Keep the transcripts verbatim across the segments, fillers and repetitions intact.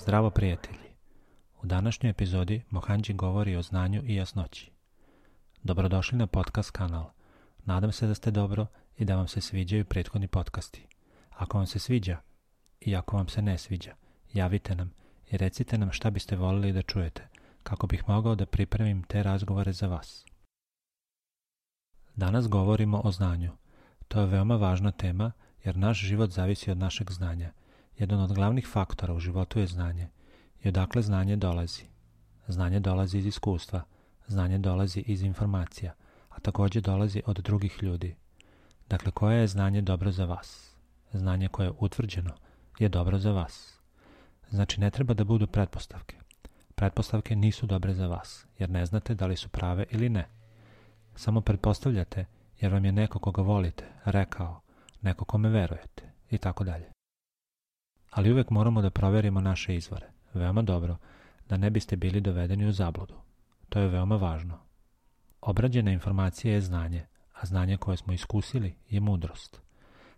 Zdravo prijatelji! U današnjoj epizodi Mohanđi govori o znanju i jasnoći. Dobrodošli na podcast kanal. Nadam se da ste dobro i da vam se sviđaju prethodni podcasti. Ako vam se sviđa i ako vam se ne sviđa, javite nam i recite nam šta biste voljeli da čujete, kako bih mogao da pripremim te razgovore za vas. Danas govorimo o znanju. To je veoma važna tema jer naš život zavisi od našeg znanja. Jedan od glavnih faktora u životu je znanje. I odakle znanje dolazi? Znanje dolazi iz iskustva, znanje dolazi iz informacija, a također dolazi od drugih ljudi. Dakle, koje je znanje dobro za vas? Znanje koje je utvrđeno je dobro za vas. Znači, ne treba da budu pretpostavke. Pretpostavke nisu dobre za vas, jer ne znate da li su prave ili ne. Samo pretpostavljate jer vam je neko koga volite rekao, neko kome verujete i tako dalje. Ali uvijek moramo da provjerimo naše izvore. Veoma dobro, da ne biste bili dovedeni u zabludu. To je veoma važno. Obrađena informacija je znanje, a znanje koje smo iskusili je mudrost.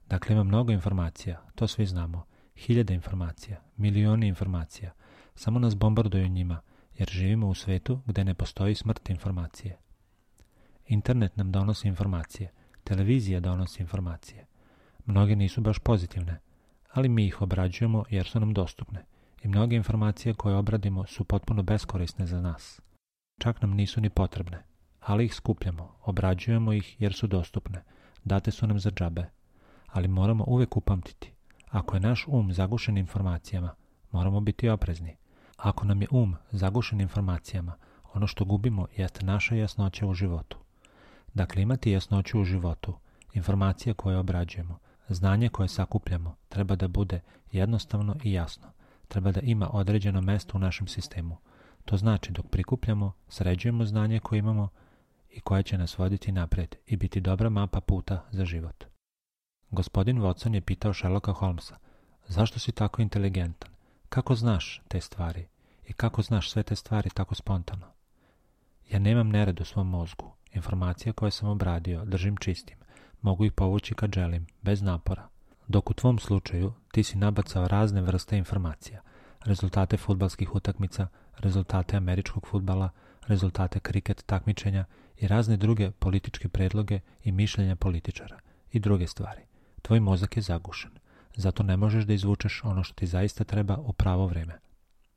Dakle, ima mnogo informacija, to svi znamo. Hiljade informacija, milioni informacija. Samo nas bombarduju njima, jer živimo u svetu gdje ne postoji smrt informacije. Internet nam donosi informacije, televizija donosi informacije. Mnoge nisu baš pozitivne, ali mi ih obrađujemo jer su nam dostupne. I mnoge informacije koje obradimo su potpuno beskorisne za nas. Čak nam nisu ni potrebne, ali ih skupljamo, obrađujemo ih jer su dostupne, date su nam za džabe. Ali moramo uvijek upamtiti, ako je naš um zagušen informacijama, moramo biti oprezni. Ako nam je um zagušen informacijama, ono što gubimo jeste naša jasnoća u životu. Dakle, imati jasnoću u životu, informacije koje obrađujemo, znanje koje sakupljamo, treba da bude jednostavno i jasno. Treba da ima određeno mesto u našem sistemu. To znači dok prikupljamo, sređujemo znanje koje imamo i koje će nas voditi naprijed i biti dobra mapa puta za život. Gospodin Watson je pitao Sherlocka Holmesa, zašto si tako inteligentan? Kako znaš te stvari? I kako znaš sve te stvari tako spontano? Ja nemam nered u svom mozgu. Informacije koje sam obradio držim čistim. Mogu ih povući kad želim, bez napora. Dok u tvom slučaju ti si nabacao razne vrste informacija. Rezultate fudbalskih utakmica, rezultate američkog fudbala, rezultate kriket takmičenja i razne druge političke predloge i mišljenja političara i druge stvari. Tvoj mozak je zagušen. Zato ne možeš da izvučeš ono što ti zaista treba u pravo vreme.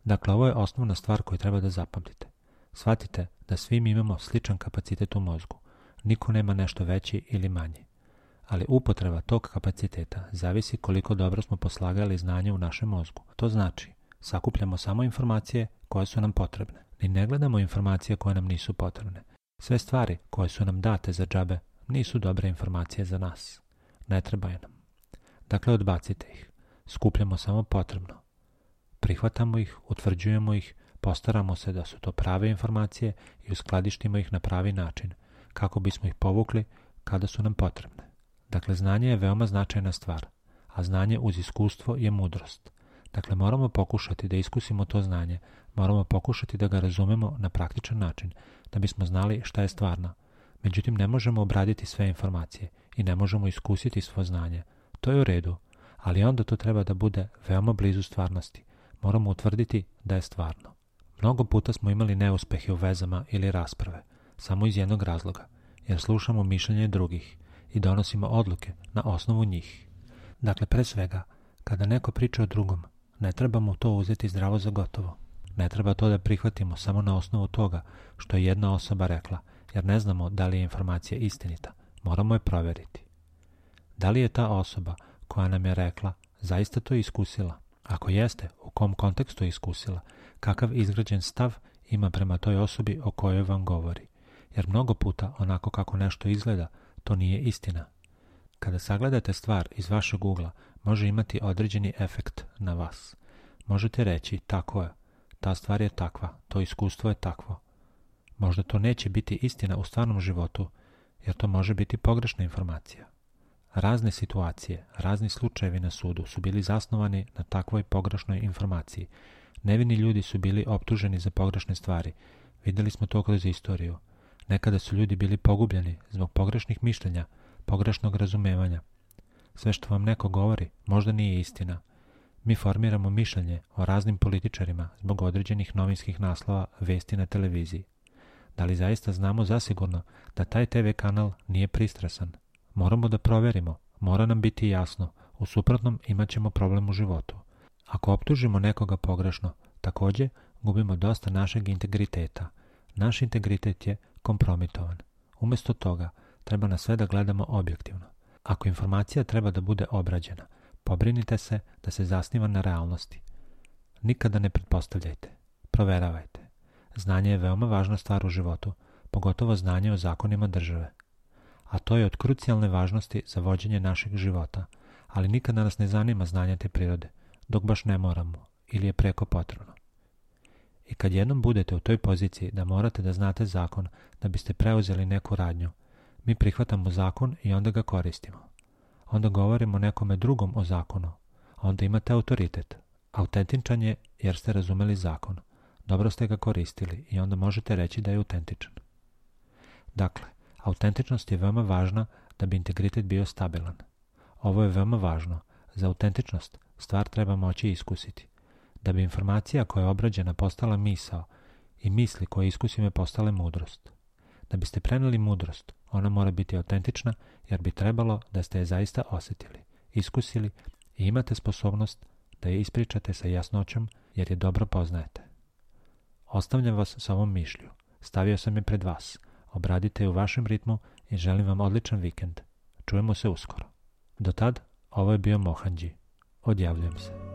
Dakle, ovo je osnovna stvar koju treba da zapamtite. Shvatite da svi mi imamo sličan kapacitet u mozgu. Niko nema nešto veći ili manji. Ali upotreba tog kapaciteta zavisi koliko dobro smo poslagali znanje u našem mozgu. To znači, sakupljamo samo informacije koje su nam potrebne. Ni ne gledamo informacije koje nam nisu potrebne. Sve stvari koje su nam date za džabe nisu dobre informacije za nas. Ne trebaju nam. Dakle, odbacite ih. Skupljamo samo potrebno. Prihvatamo ih, utvrđujemo ih, postaramo se da su to prave informacije i uskladištimo ih na pravi način, kako bismo ih povukli kada su nam potrebne. Dakle, znanje je veoma značajna stvar, a znanje uz iskustvo je mudrost. Dakle, moramo pokušati da iskusimo to znanje, moramo pokušati da ga razumemo na praktičan način, da bismo znali šta je stvarno. Međutim, ne možemo obraditi sve informacije i ne možemo iskusiti svo znanje. To je u redu, ali onda to treba da bude veoma blizu stvarnosti. Moramo utvrditi da je stvarno. Mnogo puta smo imali neuspehe u vezama ili rasprave, samo iz jednog razloga, jer slušamo mišljenje drugih i donosimo odluke na osnovu njih. Dakle, pre svega, kada neko priča o drugom, ne trebamo to uzeti zdravo za gotovo. Ne treba to da prihvatimo samo na osnovu toga što je jedna osoba rekla, jer ne znamo da li je informacija istinita. Moramo je provjeriti. Da li je ta osoba koja nam je rekla zaista to iskusila? Ako jeste, u kom kontekstu je iskusila? Kakav izgrađen stav ima prema toj osobi o kojoj vam govori? Jer mnogo puta onako kako nešto izgleda, to nije istina. Kada sagledate stvar iz vašeg ugla, može imati određeni efekt na vas. Možete reći, tako je, ta stvar je takva, to iskustvo je takvo. Možda to neće biti istina u stvarnom životu, jer to može biti pogrešna informacija. Razne situacije, razni slučajevi na sudu su bili zasnovani na takvoj pogrešnoj informaciji. Nevini ljudi su bili optuženi za pogrešne stvari. Vidjeli smo to kroz istoriju. Nekada su ljudi bili pogubljeni zbog pogrešnih mišljenja, pogrešnog razumevanja. Sve što vam neko govori možda nije istina. Mi formiramo mišljenje o raznim političarima zbog određenih novinskih naslova vesti na televiziji. Da li zaista znamo zasigurno da taj te ve kanal nije pristrasan? Moramo da proverimo, mora nam biti jasno, u suprotnom imat ćemo problem u životu. Ako optužimo nekoga pogrešno, također gubimo dosta našeg integriteta. Naš integritet je kompromitovan. Umjesto toga, treba na sve da gledamo objektivno. Ako informacija treba da bude obrađena, pobrinite se da se zasniva na realnosti. Nikada ne pretpostavljajte. Proveravajte. Znanje je veoma važna stvar u životu, pogotovo znanje o zakonima države. A to je od krucijalne važnosti za vođenje našeg života, ali nikada nas ne zanima znanje te prirode, dok baš ne moramo ili je preko potrebno. I kad jednom budete u toj poziciji da morate da znate zakon da biste preuzeli neku radnju, mi prihvatamo zakon i onda ga koristimo. Onda govorimo nekome drugom o zakonu, a onda imate autoritet. Autentičan je jer ste razumeli zakon. Dobro ste ga koristili i onda možete reći da je autentičan. Dakle, autentičnost je veoma važna da bi integritet bio stabilan. Ovo je veoma važno. Za autentičnost stvar treba moći iskusiti. Da bi informacija koja je obrađena postala misao i misli koje iskusime postale mudrost. Da biste preneli mudrost, ona mora biti autentična jer bi trebalo da ste je zaista osjetili, iskusili i imate sposobnost da je ispričate sa jasnoćom jer je dobro poznajete. Ostavljam vas sa ovom mišlju. Stavio sam je pred vas. Obradite je u vašem ritmu i želim vam odličan vikend. Čujemo se uskoro. Do tad, ovo je bio Mohanđi. Odjavljujem se.